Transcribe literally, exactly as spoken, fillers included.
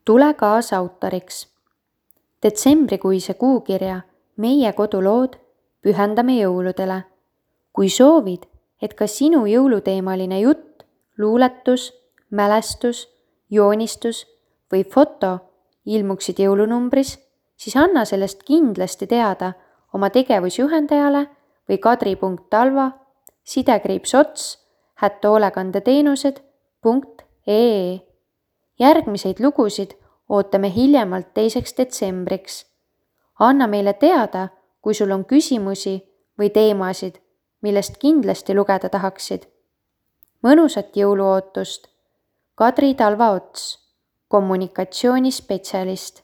Tule kaasa autoriks. Detsembrikuise kuukirja Meie kodulood pühendame jõuludele. Kui soovid, et ka sinu jõuluteemaline jutt, luuletus, mälestus, joonistus või foto ilmuksid jõulunumbris, siis anna sellest kindlasti teada oma tegevusjuhendajale või kadri.talva sidekriipsots at hoolekandeteenused punkt ee. Järgmiseid lugusid ootame hiljemalt teiseks detsembriks. Anna meile teada, kui sul on küsimusi või teemasid, millest kindlasti lugeda tahaksid. Mõnusat jõuluootust. Kadri Talva Ots, kommunikatsioonispetsialist.